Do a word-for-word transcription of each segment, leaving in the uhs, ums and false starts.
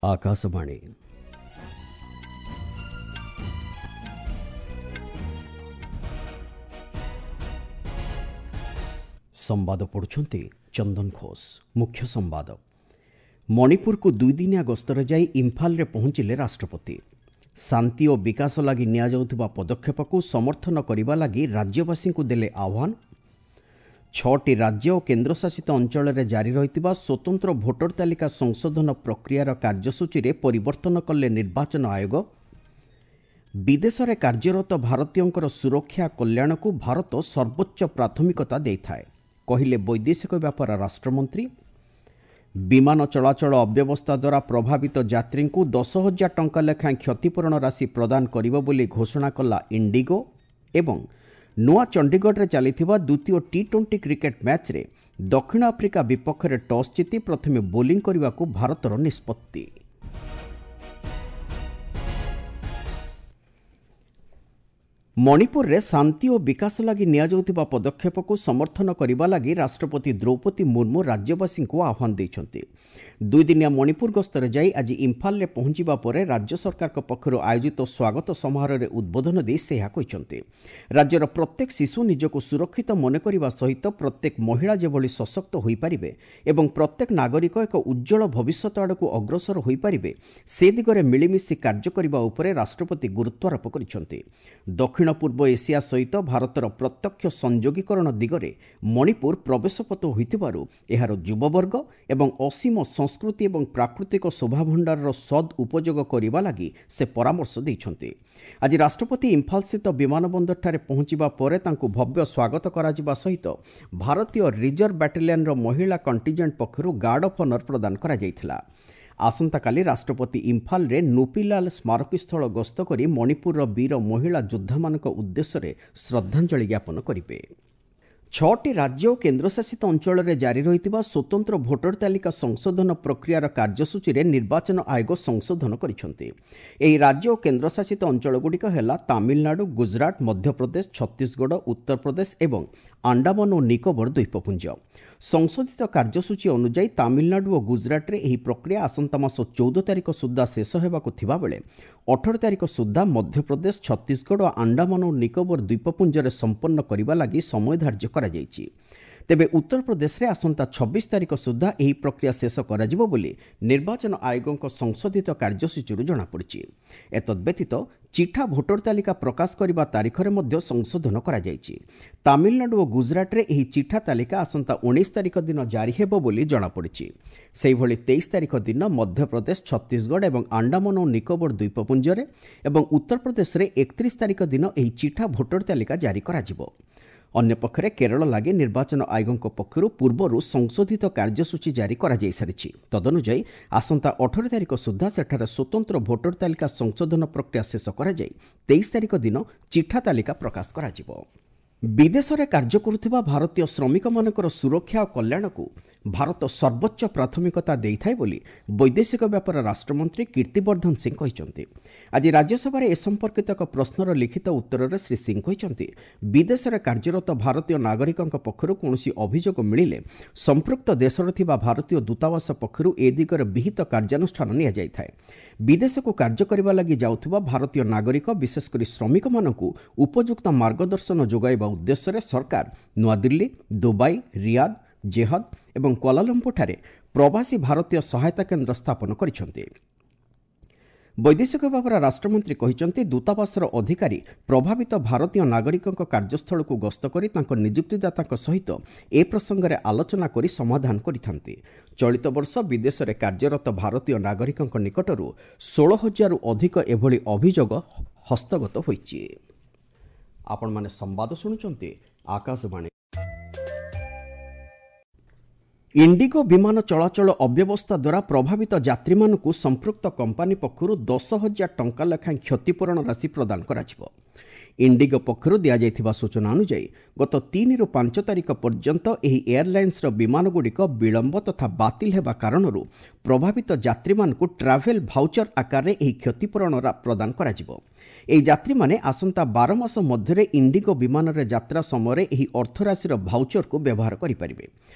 ଆକାଶବାଣୀ। ସମ୍ବାଦ ପଢ଼ୁଛନ୍ତି ଚନ୍ଦନ ଘୋଷ। ମୁଖ୍ୟ ସମ୍ବାଦ। ମଣିପୁରକୁ ଦୁଇଦିନିଆ ଗସ୍ତରେ ଯାଇ ଇମ୍ଫାଲରେ ପହଞ୍ଚିଲେ ରାଷ୍ଟ୍ରପତି। ଶାନ୍ତି ଓ ବିକାଶ ଲାଗି ନିଆଯାଉଥିବା ପଦକ୍ଷେପକୁ ସମର୍ଥନ କରିବା ଲାଗି ରାଜ୍ୟବାସୀଙ୍କୁ ଦେଲେ ଆହ୍ୱାନ। ଛଅଟି ରାଜ୍ୟ ଓ କେନ୍ଦ୍ରଶାସିତ ଅଞ୍ଚଳରେ ଜାରି ରହିଥିବା ସ୍ୱତନ୍ତ୍ର ଭୋଟର ତାଲିକା ସଂଶୋଧନ ପ୍ରକ୍ରିୟାର କାର୍ଯ୍ୟସୂଚୀରେ ପରିବର୍ତ୍ତନ କଲେ ନିର୍ବାଚନ ଆୟୋଗ। ବିଦେଶରେ କାର୍ଯ୍ୟରତ ଭାରତୀୟଙ୍କର ସୁରକ୍ଷା କଲ୍ୟାଣକୁ ଭାରତ ସର୍ବୋଚ୍ଚ ପ୍ରାଥମିକତା ଦେଇଥାଏ, କହିଲେ ବୈଦେଶିକ ବ୍ୟାପାର ରାଷ୍ଟ୍ରମନ୍ତ୍ରୀ। ବିମାନ ଚଳାଚଳ ଅବ୍ୟବସ୍ଥା ଦ୍ୱାରା ପ୍ରଭାବିତ ଯାତ୍ରୀଙ୍କୁ ଦଶ ହଜାର ଟଙ୍କା ଲେଖାଏଁ କ୍ଷତିପୂରଣ ରାଶି ପ୍ରଦାନ କରିବ ବୋଲି ଘୋଷଣା କଲା ଇଣ୍ଡିଗୋ। ଏବଂ ନୂଆ ଚଣ୍ଡିଗଡ଼ରେ ଚାଲିଥିବା ଦ୍ୱିତୀୟ ଟି ଟ୍ୱେଣ୍ଟି କ୍ରିକେଟ୍ ମ୍ୟାଚ୍ରେ ଦକ୍ଷିଣ ଆଫ୍ରିକା ବିପକ୍ଷରେ ଟସ୍ ଜିତି ପ୍ରଥମେ ବୋଲିଂ କରିବାକୁ ଭାରତର ନିଷ୍ପତ୍ତି। ମଣିପୁରରେ ଶାନ୍ତି ଓ ବିକାଶ ଲାଗି ନିଆଯାଉଥିବା ପଦକ୍ଷେପକୁ ସମର୍ଥନ କରିବା ଲାଗି ରାଷ୍ଟ୍ରପତି ଦ୍ରୌପଦୀ ମୁର୍ମୁ ରାଜ୍ୟବାସୀଙ୍କୁ ଆହ୍ୱାନ ଦେଇଛନ୍ତି। ଦୁଇଦିନିଆ ମଣିପୁର ଗସ୍ତରେ ଯାଇ ଆଜି ଇମ୍ଫାଲରେ ପହଞ୍ଚିବା ପରେ ରାଜ୍ୟ ସରକାରଙ୍କ ପକ୍ଷରୁ ଆୟୋଜିତ ସ୍ୱାଗତ ସମାରୋହରେ ଉଦ୍ବୋଧନ ଦେଇ ସେ ଏହା କହିଛନ୍ତି। ରାଜ୍ୟର ପ୍ରତ୍ୟେକ ଶିଶୁ ନିଜକୁ ସୁରକ୍ଷିତ ମନେ କରିବା ସହିତ ପ୍ରତ୍ୟେକ ମହିଳା ଯେଭଳି ସଶକ୍ତ ହୋଇପାରିବେ ଏବଂ ପ୍ରତ୍ୟେକ ନାଗରିକ ଏକ ଉଜ୍ଜ୍ୱଳ ଭବିଷ୍ୟତ ଆଡ଼କୁ ଅଗ୍ରସର ହୋଇପାରିବେ, ସେ ଦିଗରେ ମିଳିମିଶି କାର୍ଯ୍ୟ କରିବା ଉପରେ ରାଷ୍ଟ୍ରପତି ଗୁରୁତ୍ୱାରୋପ କରିଛନ୍ତି। ଦକ୍ଷିଣ ପୂର୍ବ ଏସିଆ ସହିତ ଭାରତର ପ୍ରତ୍ୟକ୍ଷ ସଂଯୋଗୀକରଣ ଦିଗରେ ମଣିପୁର ପ୍ରବେଶପଥ ହୋଇଥିବାରୁ ଏହାର ଯୁବବର୍ଗ ଏବଂ ଅସୀମ ସଂସ୍କୃତି ଏବଂ ପ୍ରାକୃତିକ ଶୋଭାଭଣ୍ଡାରର ସଦ୍ ଉପଯୋଗ କରିବା ଲାଗି ସେ ପରାମର୍ଶ ଦେଇଛନ୍ତି। ଆଜି ରାଷ୍ଟ୍ରପତି ଇମ୍ଫାଲସ୍ଥିତ ବିମାନ ବନ୍ଦରଠାରେ ପହଞ୍ଚିବା ପରେ ତାଙ୍କୁ ଭବ୍ୟ ସ୍ୱାଗତ କରାଯିବା ସହିତ ଭାରତୀୟ ରିଜର୍ଭ ବାଟାଲିୟନର ମହିଳା କଣ୍ଟିଜେଣ୍ଟ ପକ୍ଷରୁ ଗାର୍ଡ ଅଫ୍ ଅନର ପ୍ରଦାନ କରାଯାଇଥିଲା। ଆସନ୍ତାକାଲି ରାଷ୍ଟ୍ରପତି ଇମ୍ଫାଲରେ ନୁପିଲାଲ ସ୍ମାରକୀସ୍ଥଳ ଗସ୍ତ କରି ମଣିପୁରର ବୀର ମହିଳା ଯୋଦ୍ଧାମାନଙ୍କ ଉଦ୍ଦେଶ୍ୟରେ ଶ୍ରଦ୍ଧାଞ୍ଜଳି ଜ୍ଞାପନ କରିବେ। ଛଅଟି ରାଜ୍ୟ ଓ କେନ୍ଦ୍ରଶାସିତ ଅଞ୍ଚଳରେ ଜାରି ରହିଥିବା ସ୍ୱତନ୍ତ୍ର ଭୋଟର ତାଲିକା ସଂଶୋଧନ ପ୍ରକ୍ରିୟାର କାର୍ଯ୍ୟସୂଚୀରେ ନିର୍ବାଚନ ଆୟୋଗ ସଂଶୋଧନ କରିଛନ୍ତି। ଏହି ରାଜ୍ୟ ଓ କେନ୍ଦ୍ରଶାସିତ ଅଞ୍ଚଳଗୁଡ଼ିକ ହେଲା ତାମିଲନାଡୁ, ଗୁଜରାଟ, ମଧ୍ୟପ୍ରଦେଶ, ଛତିଶଗଡ଼, ଉତ୍ତରପ୍ରଦେଶ ଏବଂ ଆଣ୍ଡାମାନ ଓ ନିକୋବର ଦ୍ୱୀପପୁଞ୍ଜ। ସଂଶୋଧିତ କାର୍ଯ୍ୟସୂଚୀ ଅନୁଯାୟୀ ତାମିଲନାଡୁ ଓ ଗୁଜରାଟରେ ଏହି ପ୍ରକ୍ରିୟା ଆସନ୍ତା ମାସ ଚଉଦ ତାରିଖ ସୁଦ୍ଧା ଶେଷ ହେବାକୁ ଥିବାବେଳେ ଅଠର ତାରିଖ ସୁଦ୍ଧା ମଧ୍ୟପ୍ରଦେଶ, ଛତିଶଗଡ଼ ଓ ଆଣ୍ଡାମାନ ଓ ନିକୋବର ଦ୍ୱୀପପୁଞ୍ଜରେ ସମ୍ପନ୍ନ କରିବା ଲାଗି ସମୟ ଧାର୍ଯ୍ୟ କରାଯାଇଛି। ତେବେ ଉତ୍ତରପ୍ରଦେଶରେ ଆସନ୍ତା ଛବିଶ ତାରିଖ ସୁଦ୍ଧା ଏହି ପ୍ରକ୍ରିୟା ଶେଷ କରାଯିବ ବୋଲି ନିର୍ବାଚନ ଆୟୋଗଙ୍କ ସଂଶୋଧିତ କାର୍ଯ୍ୟସୂଚୀରୁ ଜଣାପଡ଼ିଛି। ଏତଦ୍ବ୍ୟତୀତ ଚିଠା ଭୋଟର ତାଲିକା ପ୍ରକାଶ କରିବା ତାରିଖରେ ମଧ୍ୟ ସଂଶୋଧନ କରାଯାଇଛି। ତାମିଲନାଡୁ ଓ ଗୁଜରାଟରେ ଏହି ଚିଠା ତାଲିକା ଆସନ୍ତା ଉଣେଇଶ ତାରିଖ ଦିନ ଜାରି ହେବ ବୋଲି ଜଣାପଡ଼ିଛି। ସେହିଭଳି ତେଇଶ ତାରିଖ ଦିନ ମଧ୍ୟପ୍ରଦେଶ, ଛତିଶଗଡ଼ ଏବଂ ଆଣ୍ଡାମାନ ଓ ନିକୋବର ଦ୍ୱୀପପୁଞ୍ଜରେ ଏବଂ ଉତ୍ତରପ୍ରଦେଶରେ ଏକତିରିଶ ତାରିଖ ଦିନ ଏହି ଚିଠା ଭୋଟର ତାଲିକା ଜାରି କରାଯିବ। ଅନ୍ୟପକ୍ଷରେ କେରଳ ଲାଗି ନିର୍ବାଚନ ଆୟୋଗଙ୍କ ପକ୍ଷରୁ ପୂର୍ବରୁ ସଂଶୋଧିତ କାର୍ଯ୍ୟସୂଚୀ ଜାରି କରାଯାଇସାରିଛି। ତଦନୁଯାୟୀ ଆସନ୍ତା ଅଠର ତାରିଖ ସୁଦ୍ଧା ସେଠାରେ ସ୍ୱତନ୍ତ୍ର ଭୋଟର ତାଲିକା ସଂଶୋଧନ ପ୍ରକ୍ରିୟା ଶେଷ କରାଯାଇ ତେଇଶ ତାରିଖ ଦିନ ଚିଠା ତାଲିକା ପ୍ରକାଶ କରାଯିବ। ବିଦେଶରେ କାର୍ଯ୍ୟ କରୁଥିବା ଭାରତୀୟ ଶ୍ରମିକମାନଙ୍କର ସୁରକ୍ଷା ଓ କଲ୍ୟାଣକୁ ଭାରତ ସର୍ବୋଚ୍ଚ ପ୍ରାଥମିକତା ଦେଇଥାଏ ବୋଲି ବୈଦେଶିକ ବ୍ୟାପାର ରାଷ୍ଟ୍ରମନ୍ତ୍ରୀ କୀର୍ତ୍ତିବର୍ଦ୍ଧନ ସିଂ କହିଛନ୍ତି। ଆଜି ରାଜ୍ୟସଭାରେ ଏ ସମ୍ପର୍କିତ ଏକ ପ୍ରଶ୍ନର ଲିଖିତ ଉତ୍ତରରେ ଶ୍ରୀ ସିଂ କହିଛନ୍ତି, ବିଦେଶରେ କାର୍ଯ୍ୟରତ ଭାରତୀୟ ନାଗରିକଙ୍କ ପକ୍ଷରୁ କୌଣସି ଅଭିଯୋଗ ମିଳିଲେ ସମ୍ପୃକ୍ତ ଦେଶରେ ଥିବା ଭାରତୀୟ ଦୂତାବାସ ପକ୍ଷରୁ ଏ ଦିଗରେ ବିହିତ କାର୍ଯ୍ୟାନୁଷ୍ଠାନ ନିଆଯାଇଥାଏ। ବିଦେଶକୁ କାର୍ଯ୍ୟ କରିବା ଲାଗି ଯାଉଥିବା ଭାରତୀୟ ନାଗରିକ, ବିଶେଷକରି ଶ୍ରମିକମାନଙ୍କୁ ଉପଯୁକ୍ତ ମାର୍ଗଦର୍ଶନ ଯୋଗାଇବା ଉଦ୍ଦେଶ୍ୟରେ ସରକାର ନୂଆଦିଲ୍ଲୀ, ଦୁବାଇ, ରିୟାଦ, ଜେହଦ ଏବଂ କ୍ୱାଲାଲମ୍ପୁରଠାରେ ପ୍ରବାସୀ ଭାରତୀୟ ସହାୟତା କେନ୍ଦ୍ର ସ୍ଥାପନ କରିଛନ୍ତି। ବୈଦେଶିକ ବ୍ୟାପାର ରାଷ୍ଟ୍ରମନ୍ତ୍ରୀ କହିଛନ୍ତି, ଦୂତାବାସର ଅଧିକାରୀ ପ୍ରଭାବିତ ଭାରତୀୟ ନାଗରିକଙ୍କ କାର୍ଯ୍ୟସ୍ଥଳକୁ ଗସ୍ତ କରି ତାଙ୍କ ନିଯୁକ୍ତିଦାତାଙ୍କ ସହିତ ଏ ପ୍ରସଙ୍ଗରେ ଆଲୋଚନା କରି ସମାଧାନ କରିଥାନ୍ତି। ଚଳିତ ବର୍ଷ ବିଦେଶରେ କାର୍ଯ୍ୟରତ ଭାରତୀୟ ନାଗରିକଙ୍କ ନିକଟରୁ ଷୋହଳ ହଜାରରୁ ଅଧିକ ଏଭଳି ଅଭିଯୋଗ ହସ୍ତଗତ ହୋଇଛି। ଆପଣମାନେ ସମ୍ବାଦ ଶୁଣୁଛନ୍ତି ଆକାଶବାଣୀ। ଇଣ୍ଡିଗୋ ବିମାନ ଚଳାଚଳ ଅବ୍ୟବସ୍ଥା ଦ୍ୱାରା ପ୍ରଭାବିତ ଯାତ୍ରୀମାନଙ୍କୁ ସମ୍ପୃକ୍ତ କମ୍ପାନୀ ପକ୍ଷରୁ ଦଶ ହଜାର ଟଙ୍କା ଲେଖାଏଁ କ୍ଷତିପୂରଣ ରାଶି ପ୍ରଦାନ କରାଯିବ। ଇଣ୍ଡିଗୋ ପକ୍ଷରୁ ଦିଆଯାଇଥିବା ସୂଚନା ଅନୁଯାୟୀ ଗତ ତିନିରୁ ପାଞ୍ଚ ତାରିଖ ପର୍ଯ୍ୟନ୍ତ ଏହି ଏୟାରଲାଇନ୍ସର ବିମାନଗୁଡ଼ିକ ବିଳମ୍ବ ତଥା ବାତିଲ ହେବା କାରଣରୁ ପ୍ରଭାବିତ ଯାତ୍ରୀମାନଙ୍କୁ ଟ୍ରାଭେଲ୍ ଭାଉଚର ଆକାରରେ ଏହି କ୍ଷତିପୂରଣ ପ୍ରଦାନ କରାଯିବ। ଏହି ଯାତ୍ରୀମାନେ ଆସନ୍ତା ବାର ମାସ ମଧ୍ୟରେ ଇଣ୍ଡିଗୋ ବିମାନରେ ଯାତ୍ରା ସମୟରେ ଏହି ଅର୍ଥରାଶିର ଭାଉଚରକୁ ବ୍ୟବହାର କରିପାରିବେ।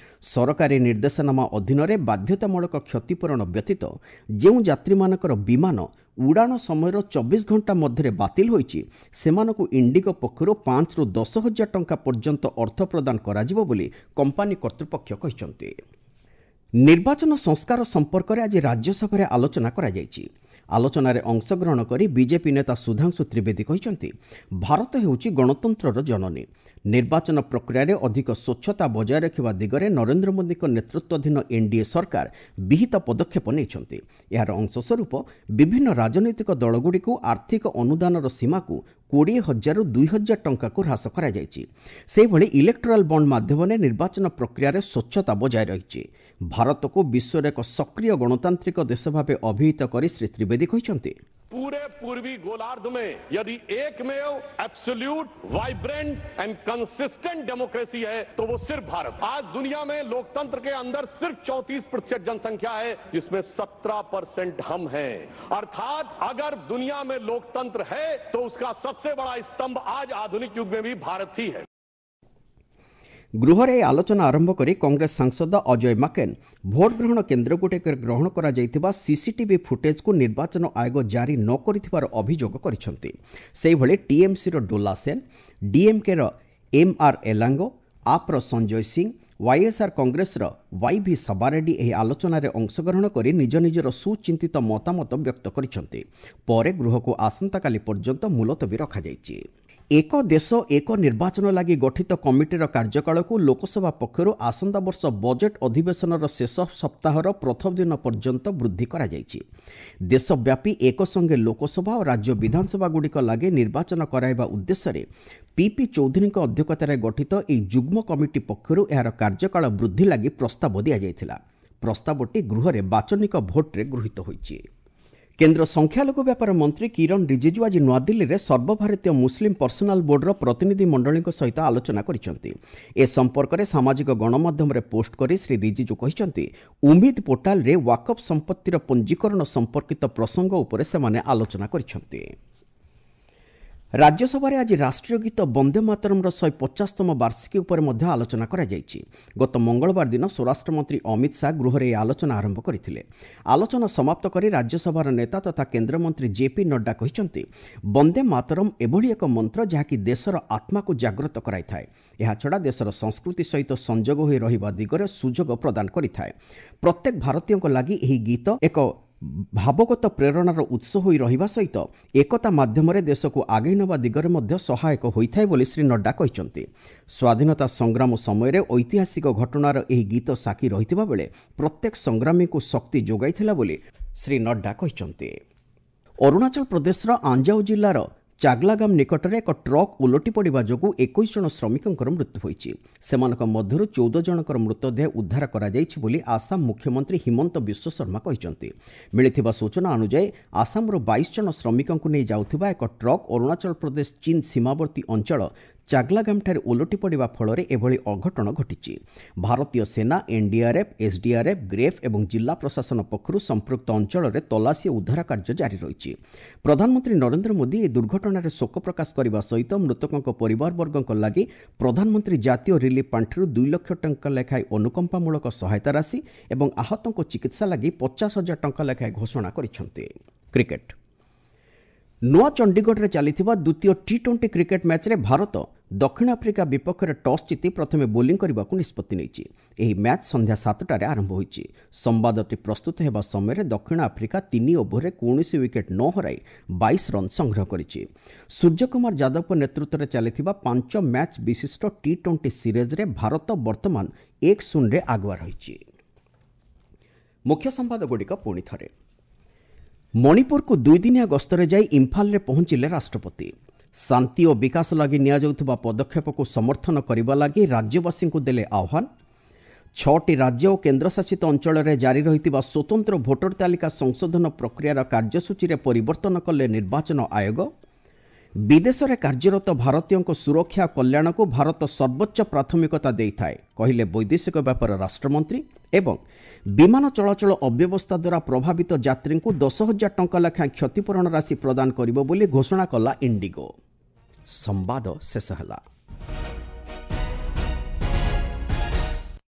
ସରକାରୀ ନିର୍ଦ୍ଦେଶନାମା ଅଧୀନରେ ବାଧ୍ୟତାମୂଳକ କ୍ଷତିପୂରଣ ବ୍ୟତୀତ ଯେଉଁ ଯାତ୍ରୀମାନଙ୍କର ବିମାନ ଉଡ଼ାଣ ସମୟର ଚବିଶ ଘଣ୍ଟା ମଧ୍ୟରେ ବାତିଲ ହୋଇଛି, ସେମାନଙ୍କୁ ଇଣ୍ଡିଗୋ ପକ୍ଷରୁ ପାଞ୍ଚରୁ ଦଶ ହଜାର ଟଙ୍କା ପର୍ଯ୍ୟନ୍ତ ଅର୍ଥ ପ୍ରଦାନ କରାଯିବ ବୋଲି କମ୍ପାନୀ କର୍ତ୍ତୃପକ୍ଷ କହିଛନ୍ତି। ନିର୍ବାଚନ ସଂସ୍କାର ସମ୍ପର୍କରେ ଆଜି ରାଜ୍ୟସଭାରେ ଆଲୋଚନା କରାଯାଇଛି। ଆଲୋଚନାରେ ଅଂଶଗ୍ରହଣ କରି ବିଜେପି ନେତା ସୁଧାଂଶୁ ତ୍ରିବେଦୀ କହିଛନ୍ତି, ଭାରତ ହେଉଛି ଗଣତନ୍ତ୍ରର ଜନନୀ। ନିର୍ବାଚନ ପ୍ରକ୍ରିୟାରେ ଅଧିକ ସ୍ୱଚ୍ଛତା ବଜାୟ ରଖିବା ଦିଗରେ ନରେନ୍ଦ୍ର ମୋଦିଙ୍କ ନେତୃତ୍ୱାଧୀନ ଏନ୍ଡିଏ ସରକାର ବିହିତ ପଦକ୍ଷେପ ନେଇଛନ୍ତି। ଏହାର ଅଂଶସ୍ୱରୂପ ବିଭିନ୍ନ ରାଜନୈତିକ ଦଳଗୁଡ଼ିକୁ ଆର୍ଥିକ ଅନୁଦାନର ସୀମାକୁ କୋଡ଼ିଏ ହଜାରରୁ ଦୁଇ ହଜାର ଟଙ୍କାକୁ ହ୍ରାସ କରାଯାଇଛି। ସେହିଭଳି ଇଲେକ୍ଟୋରାଲ ବଣ୍ଡ ମାଧ୍ୟମରେ ନିର୍ବାଚନ ପ୍ରକ୍ରିୟାରେ ସ୍ୱଚ୍ଛତା ବଜାୟ ରହିଛି। ଭାରତକୁ ବିଶ୍ୱର ଏକ ସକ୍ରିୟ ଗଣତାନ୍ତ୍ରିକ ଦେଶ ଭାବେ ଅଭିହିତ କରି ଶ୍ରୀ ତ୍ରିବେଦୀ କହିଛନ୍ତି, पूरे पूर्वी गोलार्ध में यदि एकमेव absolute vibrant and consistent democracy है तो वो सिर्फ भारत। आज दुनिया में लोकतंत्र के अंदर सिर्फ चौंतीस प्रतिशत जनसंख्या है, जिसमें सत्रह परसेंट हम हैं। अर्थात अगर दुनिया में लोकतंत्र है तो उसका सबसे बड़ा स्तंभ आज आधुनिक युग में भी भारत ही है। ଗୃହରେ ଏହି ଆଲୋଚନା ଆରମ୍ଭ କରି କଂଗ୍ରେସ ସାଂସଦ ଅଜୟ ମାକେନ ଭୋଟ ଗ୍ରହଣ କେନ୍ଦ୍ରଗୁଡ଼ିକରେ ଗ୍ରହଣ କରାଯାଇଥିବା ସିସିଟିଭି ଫୁଟେଜକୁ ନିର୍ବାଚନ ଆୟୋଗ ଜାରି ନ କରିଥିବାର ଅଭିଯୋଗ କରିଛନ୍ତି। ସେହିଭଳି ଟିଏମ୍ସିର ଡୋଲା ସେନ୍, ଡିଏମ୍କେର ଏମ୍ ଆର୍ ଏଲାଙ୍ଗୋ, ଆପ୍ର ସଞ୍ଜୟ ସିଂ, ୱାଇଏସ୍ଆର୍ କଂଗ୍ରେସର ୱାଇ ଭି ସବାରେଡ୍ଡି ଏହି ଆଲୋଚନାରେ ଅଂଶଗ୍ରହଣ କରି ନିଜ ନିଜର ସୁଚିନ୍ତିତ ମତାମତ ବ୍ୟକ୍ତ କରିଛନ୍ତି। ପରେ ଗୃହକୁ ଆସନ୍ତାକାଲି ପର୍ଯ୍ୟନ୍ତ ମୁଲତବୀ ରଖାଯାଇଛି। ଏକ ଦେଶ ଏକ ନିର୍ବାଚନ ଲାଗି ଗଠିତ କମିଟିର କାର୍ଯ୍ୟକାଳକୁ ଲୋକସଭା ପକ୍ଷରୁ ଆସନ୍ତା ବର୍ଷ ବଜେଟ୍ ଅଧିବେଶନର ଶେଷ ସପ୍ତାହର ପ୍ରଥମ ଦିନ ପର୍ଯ୍ୟନ୍ତ ବୃଦ୍ଧି କରାଯାଇଛି। ଦେଶବ୍ୟାପୀ ଏକସଙ୍ଗେ ଲୋକସଭା ଓ ରାଜ୍ୟ ବିଧାନସଭାଗୁଡ଼ିକ ଲାଗି ନିର୍ବାଚନ କରାଇବା ଉଦ୍ଦେଶ୍ୟରେ ପିପି ଚୌଧୁରୀଙ୍କ ଅଧ୍ୟକ୍ଷତାରେ ଗଠିତ ଏହି ଯୁଗ୍ମ କମିଟି ପକ୍ଷରୁ ଏହାର କାର୍ଯ୍ୟକାଳ ବୃଦ୍ଧି ଲାଗି ପ୍ରସ୍ତାବ ଦିଆଯାଇଥିଲା। ପ୍ରସ୍ତାବଟି ଗୃହରେ ବାଚନିକ ଭୋଟ୍ରେ ଗୃହୀତ ହୋଇଛି। କେନ୍ଦ୍ର ସଂଖ୍ୟାଲଘୁ ବ୍ୟାପାର ମନ୍ତ୍ରୀ କିରଣ ରିଜିଜୁ ଆଜି ନୂଆଦିଲ୍ଲୀରେ ସର୍ବଭାରତୀୟ ମୁସଲିମ୍ ପର୍ସନାଲ ବୋର୍ଡର ପ୍ରତିନିଧି ମଣ୍ଡଳୀଙ୍କ ସହିତ ଆଲୋଚନା କରିଛନ୍ତି। ଏ ସମ୍ପର୍କରେ ସାମାଜିକ ଗଣମାଧ୍ୟମରେ ପୋଷ୍ଟ କରି ଶ୍ରୀ ରିଜିଜୁ କହିଛନ୍ତି, ଉମିଦ ପୋର୍ଟାଲରେ ୱାକଫ୍ ସମ୍ପତ୍ତିର ପଞ୍ଜୀକରଣ ସମ୍ପର୍କିତ ପ୍ରସଙ୍ଗ ଉପରେ ସେମାନେ ଆଲୋଚନା କରିଛନ୍ତି। ରାଜ୍ୟସଭାରେ ଆଜି ରାଷ୍ଟ୍ରୀୟ ଗୀତ ବନ୍ଦେ ମାତରମ୍ର ଶହେ ପଚାଶତମ ବାର୍ଷିକୀ ଉପରେ ମଧ୍ୟ ଆଲୋଚନା କରାଯାଇଛି। ଗତ ମଙ୍ଗଳବାର ଦିନ ସ୍ୱରାଷ୍ଟ୍ରମନ୍ତ୍ରୀ ଅମିତ ଶାହା ଗୃହରେ ଏହି ଆଲୋଚନା ଆରମ୍ଭ କରିଥିଲେ। ଆଲୋଚନା ସମାପ୍ତ କରି ରାଜ୍ୟସଭାର ନେତା ତଥା କେନ୍ଦ୍ରମନ୍ତ୍ରୀ ଜେପି ନଡ୍ଡା କହିଛନ୍ତି, ବନ୍ଦେ ମାତରମ୍ ଏଭଳି ଏକ ମନ୍ତ୍ର ଯାହାକି ଦେଶର ଆତ୍ମାକୁ ଜାଗ୍ରତ କରାଇଥାଏ। ଏହାଛଡ଼ା ଦେଶର ସଂସ୍କୃତି ସହିତ ସଂଯୋଗ ହୋଇ ରହିବା ଦିଗରେ ସୁଯୋଗ ପ୍ରଦାନ କରିଥାଏ। ପ୍ରତ୍ୟେକ ଭାରତୀୟଙ୍କ ଲାଗି ଏହି ଗୀତ ଏକ ଭାବଗତ ପ୍ରେରଣାର ଉତ୍ସ ହୋଇ ରହିବା ସହିତ ଏକତା ମାଧ୍ୟମରେ ଦେଶକୁ ଆଗେଇ ନେବା ଦିଗରେ ମଧ୍ୟ ସହାୟକ ହୋଇଥାଏ ବୋଲି ଶ୍ରୀ ନଡ୍ଡା କହିଛନ୍ତି। ସ୍ୱାଧୀନତା ସଂଗ୍ରାମ ସମୟରେ ଐତିହାସିକ ଘଟଣାର ଏହି ଗୀତ ସାକ୍ଷୀ ରହିଥିବା ବେଳେ ପ୍ରତ୍ୟେକ ସଂଗ୍ରାମୀଙ୍କୁ ଶକ୍ତି ଯୋଗାଇଥିଲା ବୋଲି ଶ୍ରୀ ନଡ୍ଡା କହିଛନ୍ତି। ଅରୁଣାଚଳ ପ୍ରଦେଶର ଆଞ୍ଜାଓ ଜିଲ୍ଲାର ଚାଗଲାଗାମ ନିକଟରେ ଏକ ଟ୍ରକ୍ ଓଲଟି ପଡ଼ିବା ଯୋଗୁଁ ଏକୋଇଶ ଜଣ ଶ୍ରମିକଙ୍କର ମୃତ୍ୟୁ ହୋଇଛି। ସେମାନଙ୍କ ମଧ୍ୟରୁ ଚଉଦ ଜଣଙ୍କର ମୃତଦେହ ଉଦ୍ଧାର କରାଯାଇଛି ବୋଲି ଆସାମ ମୁଖ୍ୟମନ୍ତ୍ରୀ ହିମନ୍ତ ବିଶ୍ୱଶର୍ମା କହିଛନ୍ତି। ମିଳିଥିବା ସୂଚନା ଅନୁଯାୟୀ ଆସାମରୁ ବାଇଶ ଜଣ ଶ୍ରମିକଙ୍କୁ ନେଇ ଯାଉଥିବା ଏକ ଟ୍ରକ୍ ଅରୁଣାଚଳ ପ୍ରଦେଶ ଚୀନ ସୀମାବର୍ତ୍ତୀ ଅଞ୍ଚଳ ଚାଗଲାଗାମଠାରେ ଓଲଟି ପଡ଼ିବା ଫଳରେ ଏଭଳି ଅଘଟଣ ଘଟିଛି। ଭାରତୀୟ ସେନା, ଏନ୍ଡିଆର୍ଏଫ୍, ଏସ୍ଡିଆର୍ଏଫ୍, ଗ୍ରେଫ୍ ଏବଂ ଜିଲ୍ଲା ପ୍ରଶାସନ ପକ୍ଷରୁ ସମ୍ପୃକ୍ତ ଅଞ୍ଚଳରେ ତଲାସୀ ଓ ଉଦ୍ଧାର କାର୍ଯ୍ୟ ଜାରି ରହିଛି। ପ୍ରଧାନମନ୍ତ୍ରୀ ନରେନ୍ଦ୍ର ମୋଦି ଏହି ଦୁର୍ଘଟଣାରେ ଶୋକ ପ୍ରକାଶ କରିବା ସହିତ ମୃତକଙ୍କ ପରିବାରବର୍ଗଙ୍କ ଲାଗି ପ୍ରଧାନମନ୍ତ୍ରୀ ଜାତୀୟ ରିଲିଫ୍ ପାଣ୍ଠିରୁ ଦୁଇ ଲକ୍ଷ ଟଙ୍କା ଲେଖାଏଁ ଅନୁକମ୍ପାମୂଳକ ସହାୟତା ରାଶି ଏବଂ ଆହତଙ୍କ ଚିକିତ୍ସା ଲାଗି ପଚାଶ ହଜାର ଟଙ୍କା ଲେଖାଏଁ ଘୋଷଣା କରିଛନ୍ତି। କ୍ରିକେଟ୍, ନୂଆ ଚଣ୍ଡିଗଡ଼ରେ ଚାଲିଥିବା ଦ୍ୱିତୀୟ ଟି ଟ୍ୱେଣ୍ଟି କ୍ରିକେଟ୍ ମ୍ୟାଚ୍ରେ ଭାରତ ଦକ୍ଷିଣ ଆଫ୍ରିକା ବିପକ୍ଷରେ ଟସ୍ ଜିତି ପ୍ରଥମେ ବୋଲିଂ କରିବାକୁ ନିଷ୍ପତ୍ତି ନେଇଛି। ଏହି ମ୍ୟାଚ୍ ସନ୍ଧ୍ୟା ସାତଟାରେ ଆରମ୍ଭ ହୋଇଛି। ସମ୍ବାଦଟି ପ୍ରସ୍ତୁତ ହେବା ସମୟରେ ଦକ୍ଷିଣ ଆଫ୍ରିକା ତିନି ଓଭରରେ କୌଣସି ୱିକେଟ୍ ନ ହରାଇ ବାଇଶ ରନ୍ ସଂଗ୍ରହ କରିଛି। ସୂର୍ଯ୍ୟକୁମାର ଯାଦବଙ୍କ ନେତୃତ୍ୱରେ ଚାଲିଥିବା ପାଞ୍ଚ ମ୍ୟାଚ୍ ବିଶିଷ୍ଟ ଟି ଟ୍ୱେଣ୍ଟି ସିରିଜ୍ରେ ଭାରତ ବର୍ତ୍ତମାନ ଏକ ଶୂନରେ ଆଗୁଆ ରହିଛି। ମୁଖ୍ୟ ସମ୍ବାଦଗୁଡ଼ିକ ପୁଣି ଥରେ। ମଣିପୁରକୁ ଦୁଇଦିନିଆ ଗସ୍ତରେ ଯାଇ ଇମ୍ଫାଲରେ ପହଞ୍ଚିଲେ ରାଷ୍ଟ୍ରପତି। ଶାନ୍ତି ଓ ବିକାଶ ଲାଗି ନିଆଯାଉଥିବା ପଦକ୍ଷେପକୁ ସମର୍ଥନ କରିବା ଲାଗି ରାଜ୍ୟବାସୀଙ୍କୁ ଦେଲେ ଆହ୍ୱାନ। ଛଅଟି ରାଜ୍ୟ ଓ କେନ୍ଦ୍ରଶାସିତ ଅଞ୍ଚଳରେ ଜାରି ରହିଥିବା ସ୍ୱତନ୍ତ୍ର ଭୋଟର ତାଲିକା ସଂଶୋଧନ ପ୍ରକ୍ରିୟାର କାର୍ଯ୍ୟସୂଚୀରେ ପରିବର୍ତ୍ତନ କଲେ ନିର୍ବାଚନ ଆୟୋଗ। ବିଦେଶରେ କାର୍ଯ୍ୟରତ ଭାରତୀୟଙ୍କ ସୁରକ୍ଷା ଓ କଲ୍ୟାଣକୁ ଭାରତ ସର୍ବୋଚ୍ଚ ପ୍ରାଥମିକତା ଦେଇଥାଏ, କହିଲେ ବୈଦେଶିକ ବ୍ୟାପାର ରାଷ୍ଟ୍ରମନ୍ତ୍ରୀ। ଏବଂ ବିମାନ ଚଳାଚଳ ଅବ୍ୟବସ୍ଥା ଦ୍ୱାରା ପ୍ରଭାବିତ ଯାତ୍ରୀଙ୍କୁ ଦଶ ହଜାର ଟଙ୍କା ଲେଖାଏଁ କ୍ଷତିପୂରଣ ରାଶି ପ୍ରଦାନ କରିବ ବୋଲି ଘୋଷଣା କଲା ଇଣ୍ଡିଗୋ। ସମ୍ବାଦ ଶେଷ ହେଲା।